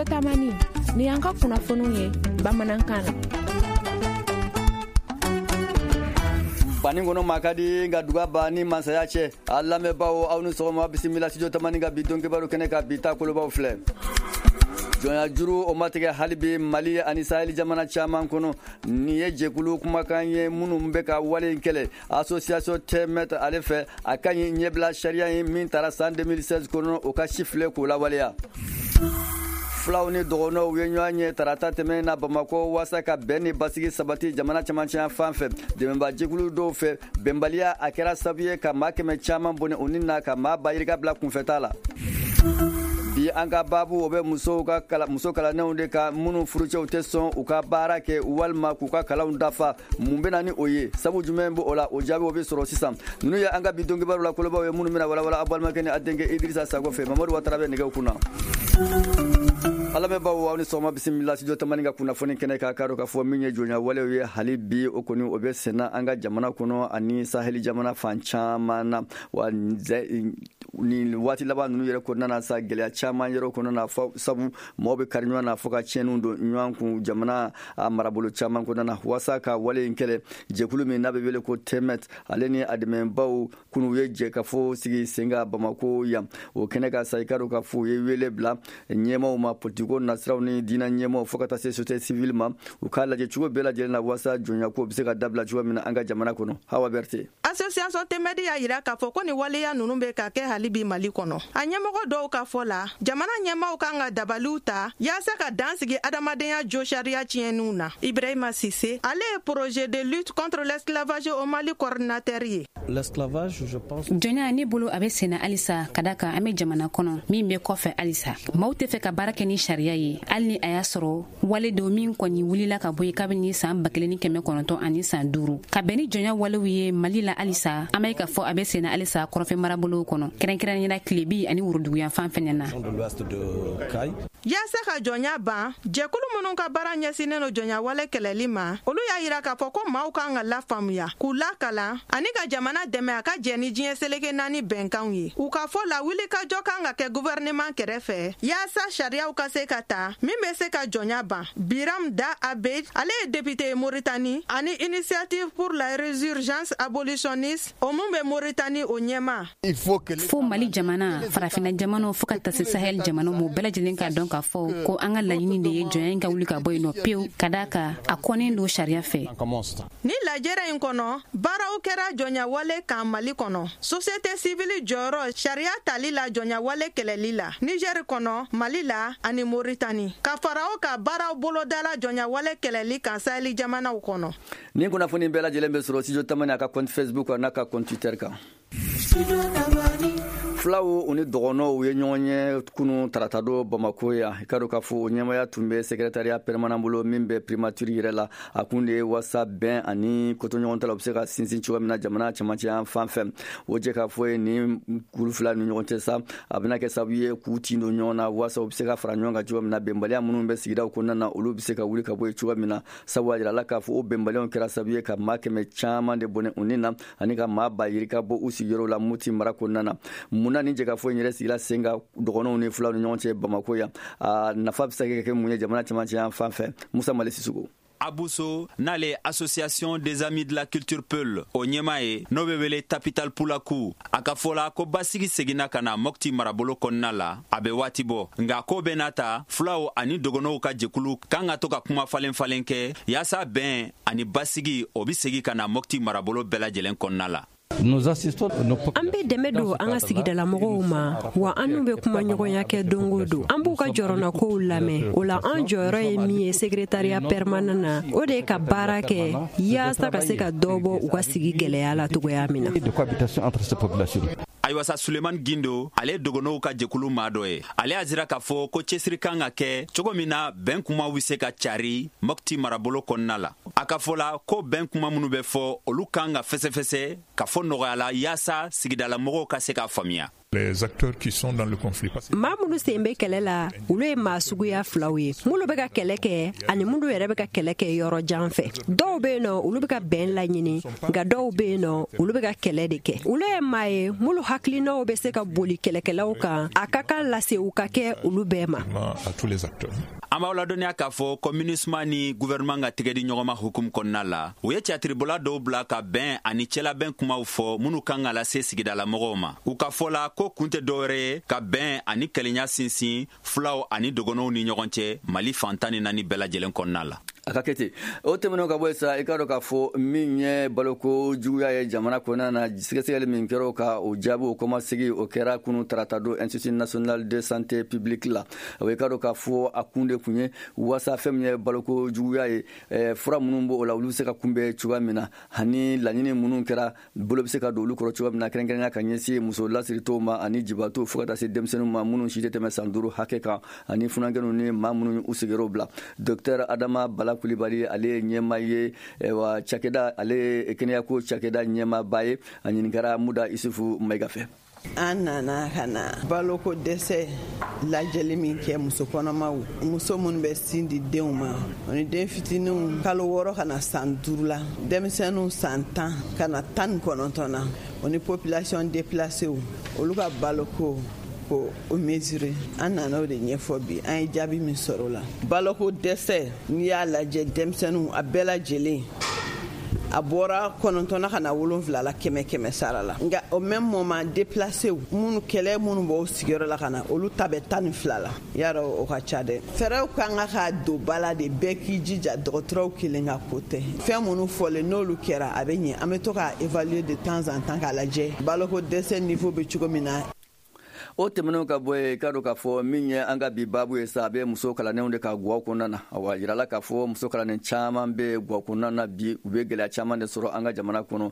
Studio Tamani ni y'an ka kunnafoniw ye bamanankan na. Banin kɔnɔ maa ka di nka duga ba ni masaya cɛ. A lamɛnbaaw, aw ni sɔgɔma. Bisimila Studio Tamani ka bi don kibaru kɛnɛ ka. Bi ta kolobaw filɛ: jɔnya juru, o ma tigɛ hali bi Mali ani Saheli jamana caman kɔnɔ. Nin ye jɛkulu kumakan ye minnu bɛ ka wale in kɛlɛ, association Temet ale fɛ. A ka ɲi ɲɛbila sariya ye min taara san 2016 kɔnɔ, o ka si filɛ k'o lawaleya. Fulaw ni dɔgɔnɔw ye ɲɔgɔn ye tarata tɛmɛn na Bamakɔ waasa ka bɛn ni basigi sabati jamana camancɛya fan fɛ. Dɛmɛbajɛkulu dɔw fɛ, bɛnbaliya a kɛra sababu ye ka maa 100 caman bɔnɛ u ni na, ka maa ba yirika bila kunfɛta la. Bi an ka baabu, o bɛ musow ka kala, muso kalannenw de kan minnu furucɛw tɛ sɔn u ka baara kɛ walima k'u ka kalanw dafa. Mun bɛ na ni o ye? Sabu jumɛn bɛ o la? O jaabi, o bɛ sɔrɔ sisan. Ninnu ye an ka bi donkibaru la kolobaw ye minnu bɛna walawala aw balimakɛ ni a denkɛ Idirisa Sago fɛ. Mamadu Watara bɛ nɛgɛw kunna. Alamɛnbaw, aw ni sɔgɔma. Bisimila Studio Tamani ka kunnafoni kɛnɛ. K'a k'a dɔn k'a fɔ min ye jɔnya walew ye, hali bi o kɔni, o bɛ senna an ka jamana kɔnɔ ani Saheli jamana fan caman na. Wa nin waati laban ninnu yɛrɛ kɔnɔna na sa, gɛlɛya caman yɛrɛ kɔnɔna na, sabu mɔgɔw bɛ kari ɲɔgɔn na fo ka tiɲɛniw don ɲɔgɔn kun jamana a marabolo caman kɔnɔna na. Waasa ka wale in kɛlɛ, jɛkulu min n'a bɛ wele ko Temet, ale ni a dɛmɛbaw, kunu ye jɛ ka fɔ sigi sen kan Bamako yan. O kɛnɛ ka sa, i ka dɔn ka fɔ u ye wele bila ɲɛmaw ma, politiko nasiraw ni diinɛ ɲɛmaw, fo ka taa se société civile ma, u k'a lajɛ cogo bɛɛ lajɛlen na waasa jɔnyako bɛ se ka dabila cogo min na an ka jamana kɔnɔ. Hawa Berte. Association Temet y'a yira k'a fɔ ko nin waleya ninnu bɛ ka kɛ hali bi Mali kɔnɔ. A ɲɛmɔgɔ dɔw ka fɔ la, jamana ɲɛmaw kan ka dabaliw ta yaasa ka dan sigi adamadenya jo sariya tiɲɛniw na. Ibrahima Sise, ale ye projet de lutte contre l'esclavage au Mali coordinateur ye. Jɔnya, ne bolo, a bɛ senna halisa, ka da kan an be jamana kɔnɔ min bɛ kɔfɛ halisa. Maaw tɛ fɛ ka baara kɛ ni sariya ye, hali ni a y'a sɔrɔ wale don min kɔni wulila ka bɔ ye kabini saan 1905, ka bɛn ni jɔnya walew ye Mali la. Halisa an bɛ k'a fɔ a bɛ senna halisa kɔrɔfɛ marabolow kɔnɔ, kɛrɛnkɛrɛnnenya tilebi ani woroduguyanfan fɛnɛ na. Yaasa ka jɔnya ban, jɛkulu minnu ka baara ɲɛsinnen no jɔnya wale kɛlɛli ma, olu y'a yira k'a fɔ ko maaw kan ka lafaamuya, k'u lakalan ani ka jamana dɛmɛ a ka jɛ ni diɲɛ seleke naani bɛnkanw ye. U ka fɔ la, wulikajɔ kan ka kɛ guvɛrɛnɛman kɛrɛfɛ yaasa sariyaw ka se ka ta min bɛ se ka jɔnya ban. Biram Da Abeid, ale ye député ye Moritani ani Initiative pour la résurgence abolitionniste, o mun bɛ Moritani, o ɲɛma. Fo Mali jamana, Farafina jamanaw, fo ka taa se Sahel jamanaw ma, bɛɛ lajɛlen k'a dɔn k'a fɔ ko an ka laɲini de ye jɔnya in ka wuli ka bɔ yen nɔ pewu, ka daa kan a kɔnnen don sariya fɛ. Ni lajɛrɛ in kɔnɔ, baaraw kɛra jɔnyawale kan Mali kɔnɔ, société civile jɔyɔrɔ sariya tali la jɔnyawale kɛlɛli la Nizɛri kɔnɔ, Mali la ani Moritani. Ka fara o ka, baaraw bolodala jɔnyawale kɛlɛli kan Saheli jamanaw kɔnɔ. Nin kunnafoni bɛɛ lajɛlen bɛ sɔrɔ Studio Tamani a ka compte Facebook n'a ka compte Twitter kan. Fulaw u ni dɔgɔnɔw ye ɲɔgɔn ye kunu tarata don Bamako yan. I ka dɔn k'a fɔ o ɲɛmaya tun bɛ secrétariat permanent bolo min bɛ primature yɛrɛ la. A kun de ye wasa bɛn ani kotoɲɔgɔn la, u bɛ se ka sinsin cogo min na jamana camancɛ fan fɛ. O jɛ k'a fɔ ye ni kulu fila ni ɲɔgɔn cɛ sa, a bɛna kɛ sababu ye k'u tin don ɲɔgɔn na waasa u bɛ se ka fara ɲɔgɔn kan cogo min na, bɛnbaliya minnu bɛ sigidaw kɔnɔna na, olu bɛ se ka wuli ka bɔ yen cogo min na. Sabu a jirala k'a fɔ o bɛnbaliyaw kɛra sababu ye ka maa 100 caman de bɔnɛ u ni na ani ka maa ba yirika bɔ u sigiyɔrɔ la Moti mara kɔnɔna na. Munna ni jɛkafɔ in yɛrɛ sigila sen kan dɔgɔnɔw ni fulaw ni ɲɔgɔn cɛ Bamako yan? A nafa bɛ se ka kɛ mun ye jamana camancɛ yan fan fɛ? Musa Mali Sisoko. Abuso, n'ale Association des amis de la culture Peul o ɲɛma ye, n'o bɛ wele Tapital Pulaku, a ka fɔ la ko basigi seginna ka na Mɔpti marabolo kɔnɔna la, a bɛ waati bɔ. Nka ko bɛɛ n'a ta, fulaw ani dɔgɔnɔw ka jɛkulu kan ka to ka kuma falen falen kɛ yaasa bɛn ani basigi, o bɛ segi ka na Mɔpti marabolo bɛɛ lajɛlen kɔnɔna la. An bɛ dɛmɛ don an ka sigidalamɔgɔw ma, wa an n'u bɛ kuma ɲɔgɔnya kɛ don o don. An b'u ka jɔrɔnakow lamɛn. O la, an jɔyɔrɔ ye min ye secrétariat permanent na, o de ye ka baara kɛ yaasa ka se ka dɔ bɔ u ka sigi gɛlɛya la cogoya min na. Ayiwa sa, Sulemani Gindo, ale ye dogonow ka jɛkulu maa dɔ ye. Ale y'a jira k'a fɔ ko cɛsiri kan ka kɛ cogo min na bɛn kumaw bɛ se ka cari Mɔpti marabolo kɔnɔna la. A ka fɔ la ko bɛn kuma minnu bɛ fɔ, olu kan ka fɛsɛfɛsɛ ka fɔ nɔgɔya la yaasa sigidalamɔgɔw ka se k'a faamuya. Maa minnu sen bɛ kɛlɛ la, olu ye maa suguya filaw ye: minnu bɛ ka kɛlɛ kɛ ani minnu yɛrɛ bɛ ka kɛlɛ kɛ yɔrɔ jan fɛ. Dɔw bɛ yen nɔ, olu bɛ ka bɛn laɲini, nka dɔw bɛ yen nɔ, olu bɛ ka kɛlɛ de kɛ. Olu ye maa ye minnu hakilinaw bɛ se ka boli kɛlɛkɛlaw kan. A ka kan lasew ka kɛ olu bɛɛ ma. An b'aw ladɔnniya k'a fɔ ko MINUSMA ni gouvernement ka tɛgɛdi ɲɔgɔnma hukumu kɔnɔna la, u ye catiribɔla dɔw bila ka bɛn ani cɛlabɛn kumaw fɔ minnu kan ka lase sigidalamɔgɔw ma. U ka fɔ la ko kun tɛ dɔwɛrɛ ye ka bɛn ani kelenya sinsin fulaw ani dɔgɔnɔw ni ɲɔgɔn cɛ Mali fan 14 bɛɛ lajɛlen kɔnɔna la. A ka kɛ ten. O tɛmɛnen ka bɔ yen sa, i k'a dɔn k'a fɔ min ye baloko juguya ye jamana kɔnɔna na, sɛgɛsɛgɛli min kɛra o ka o jaabi, o kɔmasegi, o kɛra kunu tarata don Institut national de santé publique la. O i k'a dɔn k'a fɔ a kun de kun ye waasa fɛn min ye baloko juguya ye, fura minnu b'o la, olu bɛ se ka kunbɛn cogoya min na, ani laɲini minnu kɛra, bolo bɛ se ka don olu kɔrɔ cogoya min na, kɛrɛnkɛrɛnnenya ka ɲɛsin muso lasiritow ma ani jibaatɔw, fo ka taa se denmisɛnninw ma minnu si tɛ tɛmɛ san 5 hakɛ kan, ani funankɛninw ni maa minnu u sigiyɔrɔ bila. Docteur Adama Bala Kulibali, ale ye ɲɛmaa ye wa cakɛda, ale ye kɛnɛyako cakɛda ɲɛmaaba ye. A ɲininkara Muda Isufu Mayiga fɛ. An nana ka na baloko dɛsɛ lajɛli min kɛ muso kɔnɔmaw, muso minnu bɛ sin di denw ma, ani den fitininw kalo 6 ka na san 5 la, denmisɛnninw san 10 ka na 19 na, o ni population déplacée, olu ka baloko ko o mesurer. An nana o de ɲɛfɔ bi. An ye jaabi min sɔrɔ o la, baloko dɛsɛ, n'i y'a lajɛ denmisɛnninw, a bɛɛ lajɛlen, a bɔra 9 ka na 7 la 100 100 sara la. Nka au même moment, déplacé minnu, kɛlɛ minnu b'o sigiyɔrɔ la ka na, olu ta bɛ 12 la. Yarɔ, o ka ca dɛ. Fɛɛrɛw kan ka don ba la de, bɛɛ k'i jija. Dɔgɔtɔrɔw kelen ka ko tɛ. Fɛn minnu fɔlen, n'olu kɛra, a bɛ ɲɛ. An bɛ to k'a évaluer de temps en temps k'a lajɛ baloko dɛsɛ niveau bɛ cogo min na. O tɛmɛnenw ka bɔ yen, k'a dɔn k'a fɔ min ye an ka bi baabu ye sa, a bɛ muso kalannenw de ka guwaw kɔnɔna na. Awa, yirala k'a fɔ muso kalannen caman bɛ guwa kɔnɔna na bi, u bɛ gɛlɛya caman de sɔrɔ an ka jamana kɔnɔ.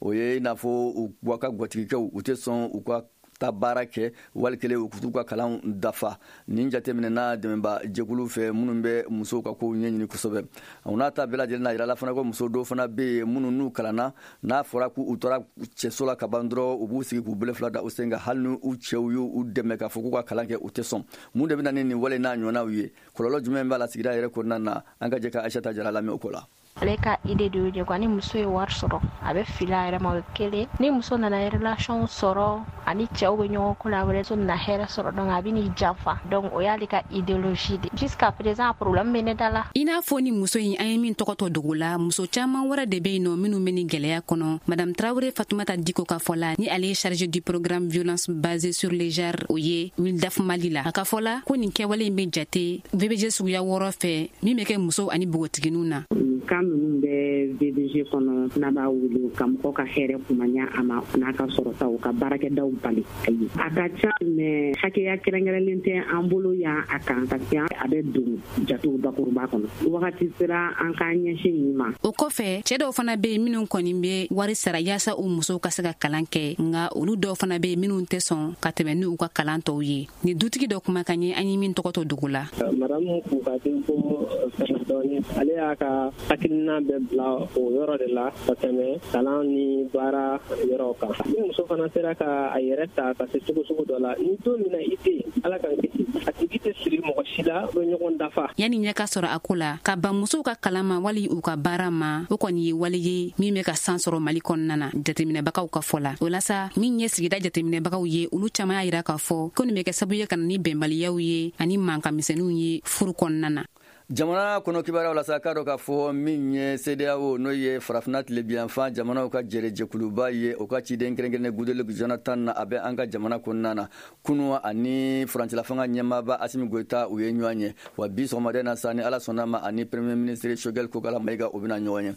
O ye i n'a fɔ u ka gwatigikɛw, u tɛ sɔn u ka ta baara kɛ, wali kelen u t'u ka kalan dafa. Nin jateminɛna dɛmɛba jɛkulu fɛ minnu bɛ musow ka kow ɲɛɲini kosɛbɛ. O n'a ta bɛɛ lajɛlen na, yirala fana ko muso dɔw fana bɛ yen minnu n'u kalanna, n'a fɔra k'u taara cɛso la ka ban dɔrɔn, u b'u sigi k'u bolo fila da u sen kan. Hali ni u cɛw y'u dɛmɛ k'a fɔ k'u ka kalan kɛ, u tɛ sɔn. Mun de bɛ na ni nin wale n'a ɲɔgɔnnaw ye? Kɔlɔlɔ jumɛn b'a la sigida yɛrɛ kɔnɔna na? An ka jɛ ka Aïssata Jara lamɛn o ko la. Ale ka idée de y'o ye quoi. Ni muso ye wari sɔrɔ, a bɛ fili a yɛrɛ ma, o ye kelen. Ni muso nana relation sɔrɔ, ani cɛw bɛ ɲɔgɔn ko la, wɛrɛ, muso nana hɛrɛ sɔrɔ, donc a bɛ n'i janfa. Donc o y'ale ka idéologie de. Jusqu'à présent, a problème bɛ ne da la. I n'a fɔ ni muso in an ye min tɔgɔ tɔ dogo la, muso caman wɛrɛ de bɛ yen nɔ minnu bɛ ni gɛlɛya kɔnɔ. Madame Traoré Fatoumata Diko ka fɔ la, ni ale ye chargé du programme violence basée sur les genres, o ye Wildaf Mali la, a ka fɔ la ko nin kɛwale in bɛ jate VBG suguya 6 fɛ min bɛ kɛ musow ani npogotigininw na. Kan ninnu bɛ VBG kɔnɔ, n'a b'a wele ka mɔgɔ ka hɛrɛ kumaya a ma n'a ka sɔrɔtaw ka baarakɛdaw bali. Ayi, a ka ca, mais hakɛya kɛrɛnkɛrɛnlen tɛ an bolo yan a kan, parce que a bɛ don jatew bakuruba kɔnɔ. Wagati sera an k'an ɲɛsin nin ma. O kɔfɛ, cɛɛ dɔw fana bɛ yen minnu kɔni bɛ wari sara yaasa u musow ka se ka kalan kɛ, nka olu dɔw fana bɛ yen minnu tɛ sɔn ka tɛmɛ ni u ka kalan tɔw ye. Ni dutigi dɔ kumakan ye an ye min tɔgɔ to dogo la. Madamu k'u ka denko fɛn dɔɔni, ale y'a ka hakilina bɛɛ bila o yɔrɔ de la ka tɛmɛ kalan ni baara yɔrɔw kan. Ni muso fana sera ka a yɛrɛ ta ka se cogo sugu dɔ la, ni don min na i tɛ yen, Ala k'an kisi, a tigi tɛ siri mɔgɔ si la, u bɛ ɲɔgɔn dafa. Yanni ɲɛ ka sɔrɔ a ko la, ka ban musow ka kalan ma wali u ka baara ma, o kɔni ye wale ye min bɛ ka san sɔrɔ Mali kɔnɔna na, jateminɛbagaw ka fɔ la. O la sa, min ye sigida jateminɛbagaw ye, olu caman y'a yira k'a fɔ ko nin bɛ kɛ sababu ye ka na ni bɛnbaliyaw ye ani mankan misɛnninw ye furu kɔnɔna na. Jamana kɔnɔ kibaruyaw la sa, k'a dɔn k'a fɔ min ye CEDEAO, n'o ye Farafinna tilebiyanfan jamanaw ka jɛrɛjɛkuluba ye, o ka ciden kɛrɛnkɛrɛnnen Goodluck Jonathan na, a bɛ an ka jamana kɔnɔna na. Kunu, ani furancɛla fanga ɲɛmaaba Asimi Goyita, u ye ɲɔgɔn ye. Wa bi sɔgɔmaden na sa, ni Ala sɔnna ma, ani Premier ministre Choguel Kokala Mayiga, o bɛna ɲɔgɔn ye.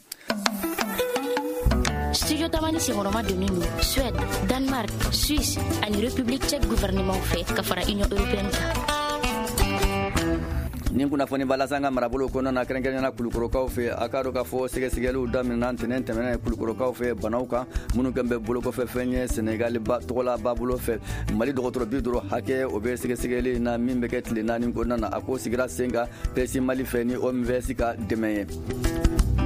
Studio Tamani senkɔrɔma donnen don Suède, Danemark, Suisse ani République tchèque gouvernement fɛ ka fara Union européenne kan. Nin kunnafoni b'a lase an ka marabolo kɔnɔna na, kɛrɛnkɛrɛnnenya Kulukorokaw fɛ. A k'a dɔn k'a fɔ sɛgɛsɛgɛliw daminɛna ntɛnɛn tɛmɛnɛn Kulukorokaw fɛ banaw kan minnu kɛn bɛ bolokɔfɛ fɛn ye Senegali tɔgɔla babolo fɛ. Mali dɔgɔtɔrɔ 50 hakɛ, o bɛ sɛgɛsɛgɛli na min bɛ kɛ tile 4 kɔnɔna na. A ko sigira sen kan PSI Mali fɛ ni OMVS ka dɛmɛ ye.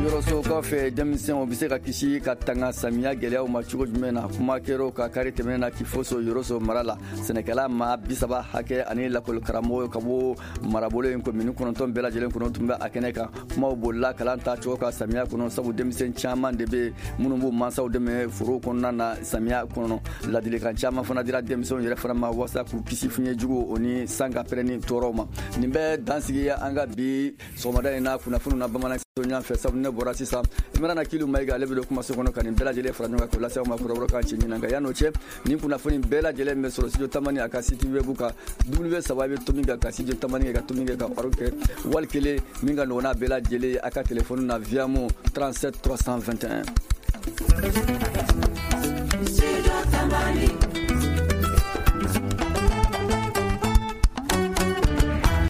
Ɲɔrɔsokaw fɛ, denmisɛnw bɛ se ka kisi ka tanga samiya gɛlɛyaw ma cogo jumɛn na? Kuma kɛr'o kan kari tɛmɛnen na Kifoso, Yɔrɔso mara la. Sɛnɛkɛla maa 30 hakɛ ani lakɔli karamɔgɔ ka bɔ marabolo in komini 9 bɛɛ lajɛlen kɔnɔ tun bɛ a kɛnɛ kan. Kumaw bolila kalan ta cogo kan samiya kɔnɔ, sabu denmisɛn caman de bɛ minnu b'u mansaw dɛmɛ foro kɔnɔna na samiya kɔnɔ. Ladilikan caman fana dira denmisɛnw yɛrɛ fana ma walasa k'u kisi fiɲɛ jugu o ni san ka pɛrɛnni tɔɔrɔw ma. Nin bɛ dansigi an ka bi sɔgɔmada in na kunnafoniw na bamanan ɲɔgɔn fɛ. Sabu ne bɔra sisan, Imrana Kilu Mayiga, ale bɛ don kumaso kɔnɔ ka nin bɛɛ lajɛlen fara ɲɔgɔn kan k'o lase aw ma kɔrɔbɔrɔkan cɛ ɲinan. Nka yan'o cɛ, nin kunnafoni bɛɛ lajɛlen bɛ sɔrɔ Studio Tamani a ka site web kan, W saba bɛ tomi kan ka Studio Tamani kɛ ka tomi kɛ ka org kɛ, wali kelen min ka nɔgɔn n'a bɛɛ lajɛlen ye, a ka telefɔni na, Viamo 37 321. Studio Tamani.